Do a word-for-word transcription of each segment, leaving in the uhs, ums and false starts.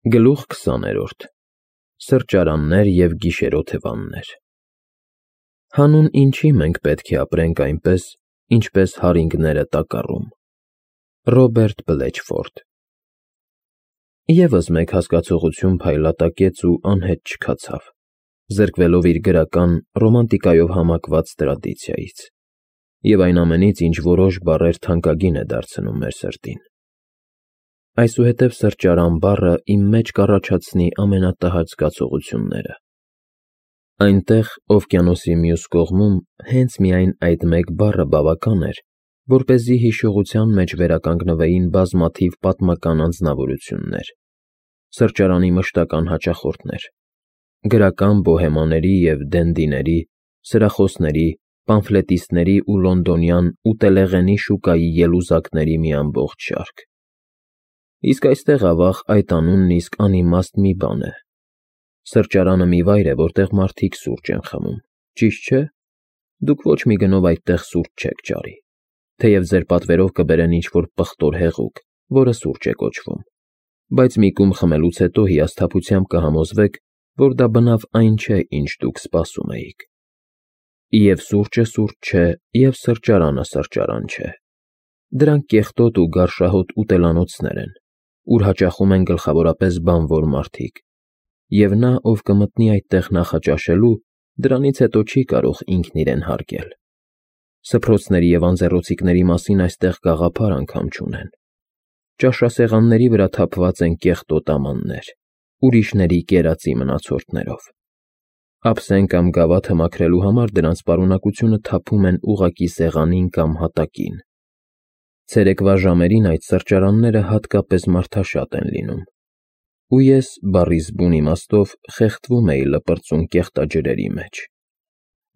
Գլուխ քսաներորդ Սրճարաններ և գիշերօթևաններ Հանուն ինչի մենք պետք է ապրենք այնպես, ինչպես հարինգները տակառում։ Ռոբերտ Բլեչֆորդ Եվս մեկ հասկացողություն փայլատակեց ու անհետ չքացավ, զրկվելով իր գրական, ռոմանտիկայով համակված տրադիցիայից, և այն ամենից, ինչ որոշ բառեր թանկագին է դարձնում մեր սրտին։ Այսուհետև սրճարան բառը իմ մեջ կառաջացնի ամենատհաճ զգացողությունները։ Այնտեղ, օվկիանոսի մյուս կողմում, հենց միայն այդ մեկ բառը բավական էր, որպեսզի հիշողության մեջ վերականգնվեին բազմաթիվ պատմական անձնավորություններ, սրճարանի մշտական հաճախորդներ, գրական բոհեմաների և դենդիների, սրախոսների, պամֆլետիստների ու լոնդոնյան ուտելեղենի շուկայի ելուզակների մի ամբողջ շարք։ Իսկ այստեղ, ավաղ, այդ անունն իսկ անիմաստ մի բան է։ Սրճարանը մի վայր է, որտեղ մարդիկ սուրճ են խմում, ճիշտ չէ՞։ Դուք ոչ մի գնով այդտեղ սուրճ չեք ճարի, թեև ձեր պատվերով կբերեն ինչ-որ պղտոր հեղուկ, որը սուրճ է կոչվում, բայց մի կում խմելուց հետո հիասթափությամբ կհամոզվեք, որ դա բնավ այն չէ, ինչ դուք սպասում էիք։ Եվ սուրճը սուրճ չէ, և սրճարանը սրճարան չէ։ Դրանք կեղտոտ ու գարշահոտ ուտելանոցներ են, ուր հաճախում են գլխավորապես բանվոր մարդիկ, և նա, ով կմտնի այդտեղ նախաճաշելու, դրանից հետո չի կարող ինքն իրեն հարգել։ Սփռոցների և անձեռոցիկների մասին այստեղ գաղափար անգամ չունեն։ Ճաշասեղանների վրա թափված են կեղտոտ ամաններ, ուրիշների կերածի մնացորդներով։ Ափսեն կամ գավաթը մաքրելու համար դրանց պարունակությունը թափում են ուղղակի սեղանին կամ հատակին։ Ցերեկվա ժամերին այդ սրճարանները հատկապես մարդաշատ են լինում, ու ես, բառիս բուն իմաստով, խեղդվում էի լպրծուն կեղտաջրերի մեջ,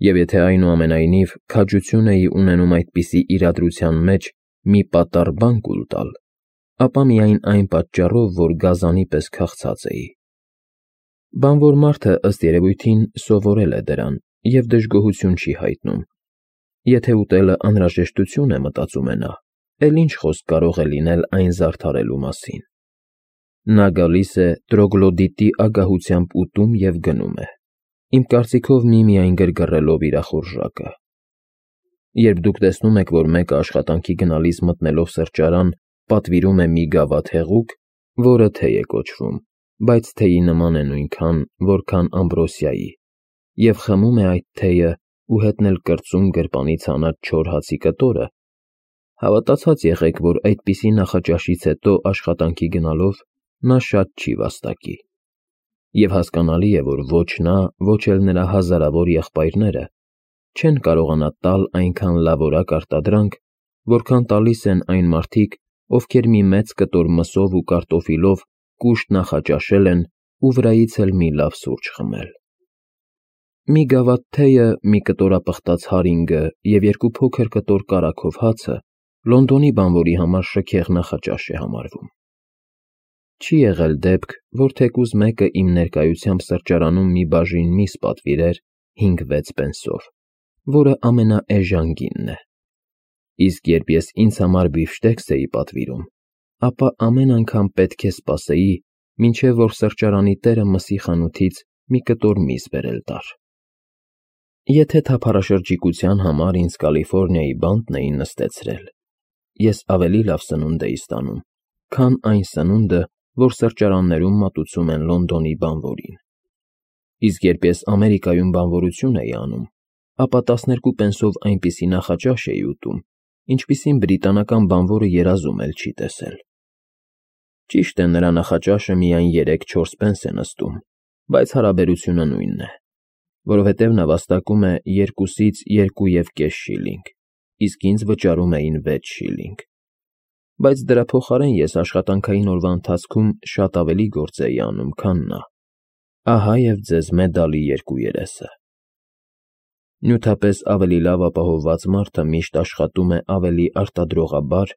և եթե այնուամենայնիվ քաջություն էի ունենում այդպիսի իրադրության մեջ մի պատառ բան կուլ տալ, ապա միայն այն պատճառով, որ գազանի պես քաղցած էի։ Բանվոր մարդը, ըստ երևույթին, սովորել է դրան և դժգոհություն չի հայտնում։ Եթե ուտելը անհրաժեշտություն է, մտածում է նա, էլ ինչ խոսք կարող է լինել այն զարդարելու մասին։ Նա գալիս է տրոգլոդիտի ագահությամբ ուտում և գնում է, իմ կարծիքով միմիայն գրգռելով իր ախորժակը։ Երբ դուք տեսնում եք, որ մեկը աշխատանքի գնալիս մտնելով սրճարան, պատվիրում է մի գավաթ հեղուկ, որը թեյ է կոչվում, բայց թեյի նման է նույնքան, որքան ամբրոսիայի, և խմում է այդ թեյը ու հետն էլ կրծում գրպանից հանած չոր հացի կտորը, հավատացած եղեք, որ այդպիսի նախաճաշից հետո աշխատանքի գնալով նա շատ չի վաստակի։ Եվ հասկանալի է, որ ոչ նա, ոչ էլ նրա հազարավոր եղբայրները չեն կարողանա տալ այնքան լավորակ արտադրանք, որքան տալիս են այն մարդիկ, ովքեր մի մեծ կտոր մսով ու կարտոֆիլով կուշտ նախաճաշել են ու վրայից էլ մի լավ սուրճ խմել։ Մի գավաթ թեյը, մի կտորապղտած հարինգը և երկու փոքր կտոր կարագով հացը Լոնդոնի բանվորի համար շքեղ նախաճաշ է համարվում։ Չի եղել դեպք, որ թեկուզ մեկը իմ ներկայությամբ սրճարանում մի բաժին միս պատվիրեր հինգ֊վեց պենսով, որը ամենաէժան գինն է։ Իսկ երբ ես ինձ համար բիֆշտեքս էի պատվիրում, ապա ամեն անգամ պետք է սպասեի, մինչև որ սրճարանի տերը մսի խանութից մի կտոր միս բերել տար։ Եթե թափառաշրջիկության համար ինձ Կալիֆոռնիայի բանտն էին նստեցրել, ես ավելի լավ սնունդ էի ստանում, քան այն սնունդը, որ սրճարաններում մատուցում են Լոնդոնի բանվորին։ Իսկ երբ ես Ամերիկայում բանվորություն էի անում, ապա տասներկու պենսով այնպիսի նախաճաշ էի ուտում, ինչպիսին բրիտանական բանվորը երազում էլ չի տեսել։ Ճիշտ է, նրա նախաճաշը միայն երեք֊չորս պենս է նստում, բայց հարաբերությունը նույնն է, որովհետև նա վաստակում է երկուսից երկու և կես շիլինգ, իսկ ինձ վճարում էին վեց շիլինգ։ Բայց դրա փոխարեն ես աշխատանքային օրվա ընթացքում շատ ավելի գործ էի անում, քան նա։ Ահա և ձեզ մեդալի երկու երեսը։ Նյութապես ավելի լավ ապահովված մարդը միշտ աշխատում է ավելի արտադրողաբար,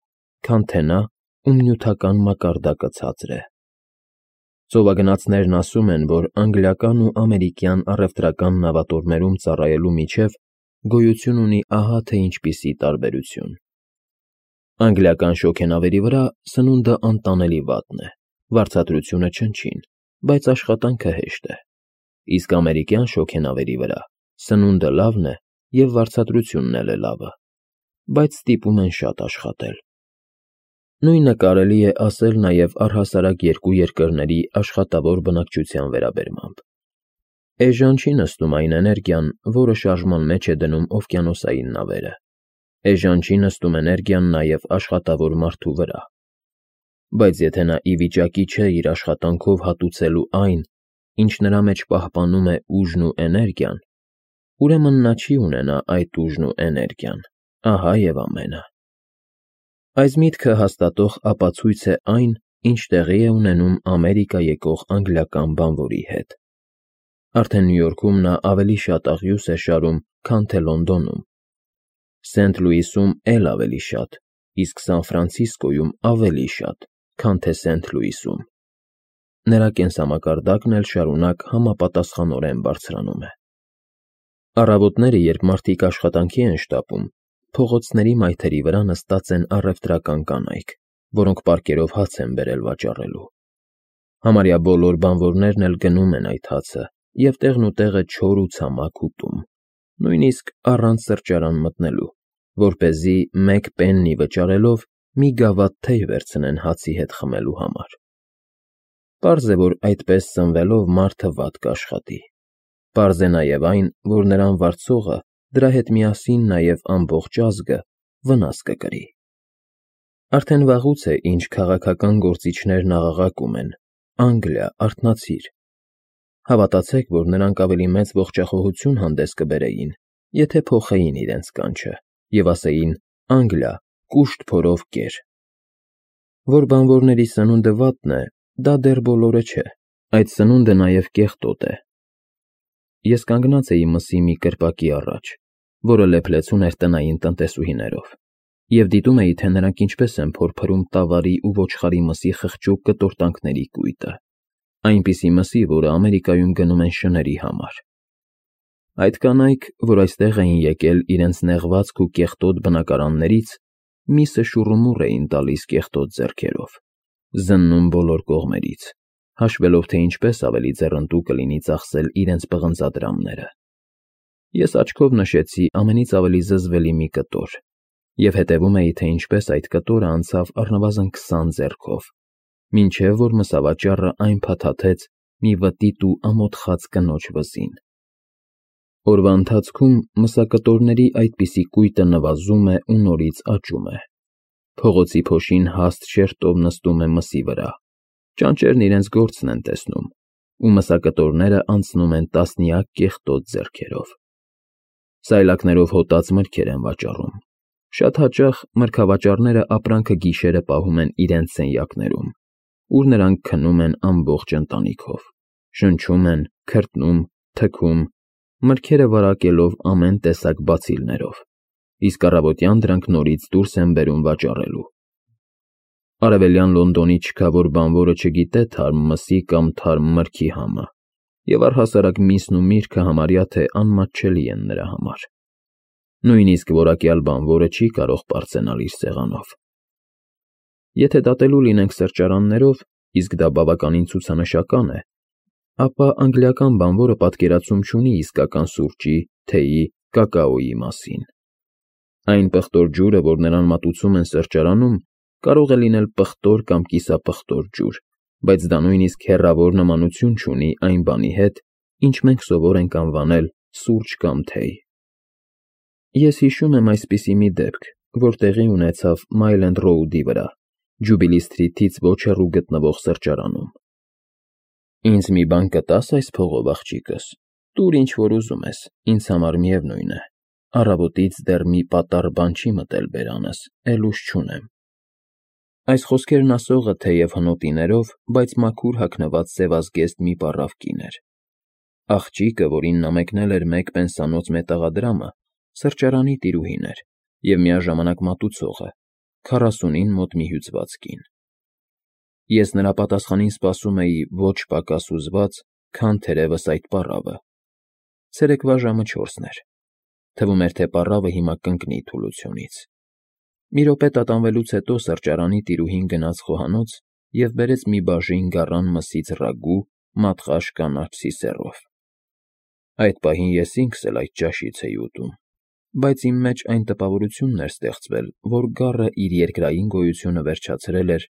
քան թե նա, ում նյութական մակարդակը ցածր է։ Ծովագնացներն ասում են, որ անգլիական ու ամերիկյան առևտրական նավատորմերում ծառայելու միջև գոյություն ունի ահա թե ինչպիսի տարբերություն։ Անգլիական շոգենավերի վրա սնունդը անտանելի վատն է, Վարձատրությունը չնչին, բայց աշխատանքը հեշտ է, իսկ ամերիկյան շոգենավերի վրա սնունդը լավն է և վարձատրությունն էլ է լավը, բայց ստիպում են շատ աշխատել։ Նույնը կարելի է ասել նաև առհասարակ երկու երկրների աշխատավոր բնակչության վերաբերմամբ։ Էժան չի նստում այն էներգիան, որը շարժման մեջ է դնում օվկիանոսային նավերը։ Էժան չի նստում էներգիան նաև աշխատավոր մարդու վրա։ Բայց եթե նա ի վիճակի չէ իր աշխատանքով հատուցելու այն, ինչ նրա մեջ պահպանում է ուժն ու էներգիան, ուրեմն նա չի ունենա այդ ուժն ու էներգիան, ահա և ամենը։ Այս միտքը հաստատող ապացույց է այն, ինչ տեղի է ունենում Ամերիկա եկող անգլիական բանվորի հետ։ Արդեն Նյու Յորքում նա ավելի շատ աղյուս է շարում, քան թե Լոնդոնում, Սենթ Լուիսում էլ ավելի շատ, իսկ Սան Ֆրանցիսկոյում ավելի շատ, քան թե Սենթ Լուիսում։ Նրա կենսամակարդակն էլ շարունակ համապատասխանորեն բարձրանում է։ Առավոտները, երբ մարդիկ աշխատանքի են շտապում, փողոցների մայթերի վրա նստած են առևտրական կանայք, որոնք պարկերով հաց են բերել վաճառելու։ Համարյա բոլոր բանվորներն էլ գնում են այդ հացը և տեղնուտեղը չոր ու ցամաք ուտում, նույնիսկ առանց սրճարան մտնելու, որպեսզի մեկ պեննի վճարելով մի գավաթ թեյ վերցնեն հացի հետ խմելու համար։ Պարզ է, որ այդպես սնվելով մարդը վատ կաշխատի։ Պարզ է նաև այն, որ նրան վարձողը դրա հետ միասին նաև ամբողջ ազգը վնաս կկրի։ Արդեն վաղուց է, ինչ քաղաքական գործիչներն աղաղակում են. «Անգլիա, արթնացիր»։ Հավատացեք, որ նրանք ավելի մեծ ողջախոհություն հանդես կբերեին, եթե փոխեին իրենց կանչը և ասեին. «Անգլիա, կուշտ փորով կեր»։ Որ բանվորների սնունդը վատն է, դա դեռ բոլորը չէ, այդ սնունդը նաև կեղտոտ է։ Ես կանգնած էի մսի մի կրպակի առաջ, որը լեփլեցուն էր տնային տնտեսուհիներով, և դիտում էի, թե նրանք ինչպես են փորփրում տավարի ու ոչխարի մսի խղճուկ կտորտանքների կույտը, այնպիսի մսի, որը Ամերիկայում գնում են շների համար։ Այդ կանայք, որ այստեղ էին եկել իրենց նեղվածք ու կեղտոտ բնակարաններից, միսը շուռումուռ էին տալիս կեղտոտ ձեռքերով, զննում բոլոր կողմերից, հաշվելով, թե ինչպես ավելի ձեռնտու կլինի ծախսել իրենց պղնձադրամները։ Ես աչքով նշեցի ամենից ավելի զզվելի մի կտոր և հետևում էի, թե ինչպես այդ կտորը անցավ առնվազն քսան ձեռքով, մինչև որ մսավաճառը այն փաթաթեց մի վտիտ ու ամոթխած կնոջ վզին։ Օրվա ընթացքում մսակտորների այդպիսի կույտը նվազում է ու նորից աճում է։ Փողոցի փոշին հաստ շերտով նստում է մսի վրա, ճանճերն իրենց գործն են տեսնում, ու մսակտորները անցնում են տասնյակ կեղտոտ ձեռքերով։ Սայլակներով հոտած մրգեր են վաճառում։ Շատ հաճախ մրգավաճառները ապրանքը գիշերը պահում են իրենց սենյակներում, ուր նրանք քնում են ամբողջ ընտանիքով, շնչում են, քրտնում, թքում, մրգերը վարակելով ամեն տեսակ բացիլներով, իսկ առավոտյան դրանք նորից դուրս են բերում վաճառելու։ Արևելյան Լոնդոնի չքավոր բանվորը չգիտե թարմ մսի կամ թարմ մրգի համը, և առհասարակ միսն ու միրգը համարյա թե անմատչելի են նրա համար։ Նույնիսկ որակյալ բանվորը չի կարող պարծենալ իր սեղանով։ Եթե դատելու լինենք սրճարաններով, իսկ դա բավականին ցուցանշական է, ապա անգլիական բանվորը պատկերացում չունի իսկական սուրճի, թեյի, կակաոյի մասին։ Այն պղտոր ջուրը, որ նրան մատուցում են սրճարանում, կարող է լինել պղտոր կամ կիսապղտոր ջուր, բայց դա նույնիսկ հեռավոր նմանություն չունի այն բանի հետ, ինչ մենք սովոր ենք անվանել սուրճ կամ թեյ։ Ես հիշում եմ այսպիսի մի դեպք, որ տեղի ունեցավ Mile End Road-ի վրա, Ջուբիլի Սթրիթից ոչ հեռու գտնվող սրճարանում։ Ինձ մի բան կտա՞ս այս փողով, աղջիկս, տուր ինչ որ ուզում ես, ինձ համար միևնույն է, առավոտից դեռ մի պատառ բան չի մտել բերանս, էլ ուժ չունեմ։ Այս խոսքերն ասողը թեև հնոտիներով, բայց մաքուր հագնված սևազգեստ մի պառավ կին էր։ Աղջիկը, որին նա մեկնել էր մեկ պենսանոց մետաղադրամը, սրճարանի տիրուհին էր և միաժամանակ մատուցողը, քառասունին մոտ մի հյուծված կին։ Ես նրա պատասխանին սպասում էի ոչ պակաս հուզված, քան թերևս այդ պառավը։ Ցերեկվա ժամը չորսն էր։ Թվում էր, թե պառավը հիմա կընկնի թուլությունից։ Մի րոպե տատանվելուց հետո սրճարանի տիրուհին գնաց խոհանոց և բերեց մի բաժին գառան մսից ռագու մատղաշ կանաչ սիսեռով։ Այդ պահին ես ինքս էլ այդ ճաշից էի ուտում, բայց իմ մեջ այն տպավորությունն էր ստեղծվել, որ գառը իր երկրային գոյությունը վերջացրել էր,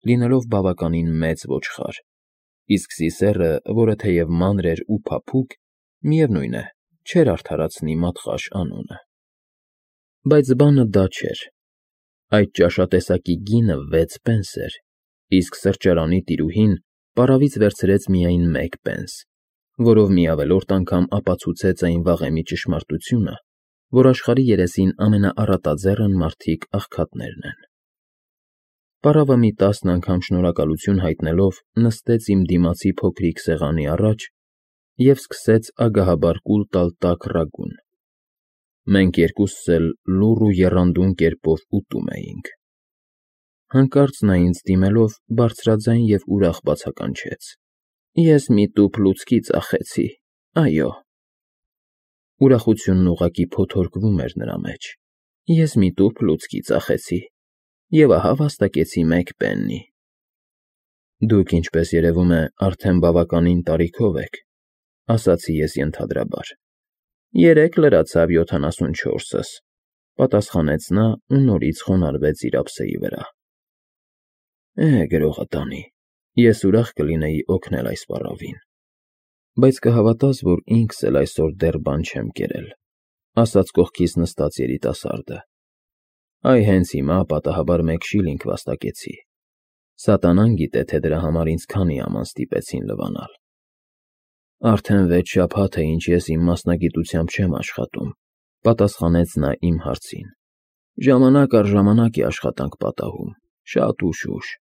լինելով բավականին մեծ ոչխար, իսկ սիսեռը, որը թեև մանր էր ու փափուկ, միևնույն է, չէր արդարացնի մատղաշ անունը։ Բայց բանը դա չէր. այդ ճաշատեսակի գինը վեց պենս էր, իսկ սրճարանի տիրուհին պարավից վերցրեց միայն մեկ պենս, որով մի ավելորդ անգամ ապացուցեց այն վաղեմի ճշմարտությունը, որ աշխարհի երեսին ամենաառատաձեռն մարդիկ աղքատներն են։ Պարավը մի տասն անգամ շնորհակալություն հայտնելով նստեց իմ դիմացի փոքրիկ սեղանի առաջ և սկսեց ագահաբար կուլ տալ տաք ռագուն։ Մենք երկուսս էլ լուռ ու եռանդուն կերպով ուտում էինք։ Հանկարծ նա ինձ դիմելով բարձրաձայն և ուրախ բացականչեց. «Ես մի տուփ լուցկի ծախեցի, այո»։ Ուրախությունն ուղղակի փոթորկվում էր նրա մեջ։ «Ես մի տուփ լուցկի ծախեցի, և ահա վաստակեցի մեկ պեննի»։ Դուք, ինչպես երևում է, արդեն բավականին տարիքով եք, ասացի ես ենթադրաբար։ Երեկ լրացավ յոթանասունչորսս, պատասխանեց նա ու նորից խոնարհվեց իր ափսեի վրա։ Է, գրողը տանի, ես ուրախ կլինեի օգնել այս պառավին, բայց կհավատաս, որ ինքս էլ այսօր դեռ բան չեմ կերել, ասաց կողքիս նստած երիտասարդը։ Այ հենց հիմա պատահաբար մեկ շիլինգ վաստակեցի։ Սատանան գիտե, թե դրա համար ինձ քանի աման ստիպեցին լվանալ։ Արդեն վեց շաբաթ է, ինչ ես իմ մասնագիտությամբ չեմ աշխատում, պատասխանեց նա իմ հարցին։ Ժամանակ առ ժամանակ է աշխատանք պատահում, շատ ուշ֊ուշ։